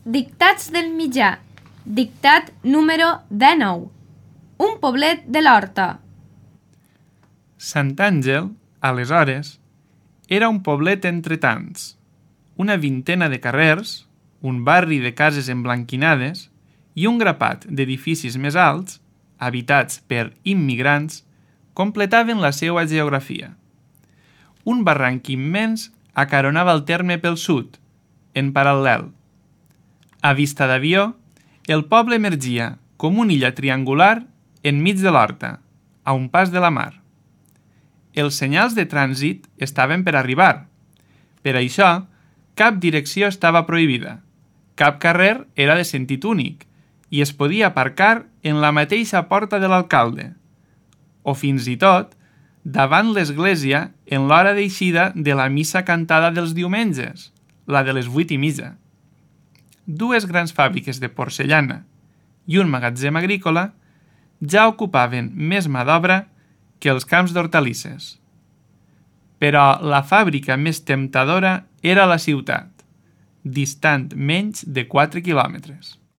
Dictats del mitjà. Dictat número 19. Un poblet de l'Horta. Sant Àngel, aleshores, era un poblet entre tants, una vintena de carrers, un barri de cases emblanquinades i un grapat d'edificis més alts, habitats per immigrants, completaven la seva geografia. Un barranc immens acaronava el terme pel sud, en paral·lel. A vista d'avió, el poble emergia com una illa triangular enmig de l'horta, a un pas de la mar. Els senyals de trànsit estaven per arribar. Per això, cap direcció estava prohibida, cap carrer era de sentit únic i es podia aparcar en la mateixa porta de l'alcalde, o fins i tot davant l'església en l'hora d'eixida de la missa cantada dels diumenges, la de les 8:30. Dues grans fàbriques de porcellana i un magatzem agrícola ja ocupaven més mà d'obra que els camps d'hortalisses. Però la fàbrica més temptadora era la ciutat, distant menys de 4 quilòmetres.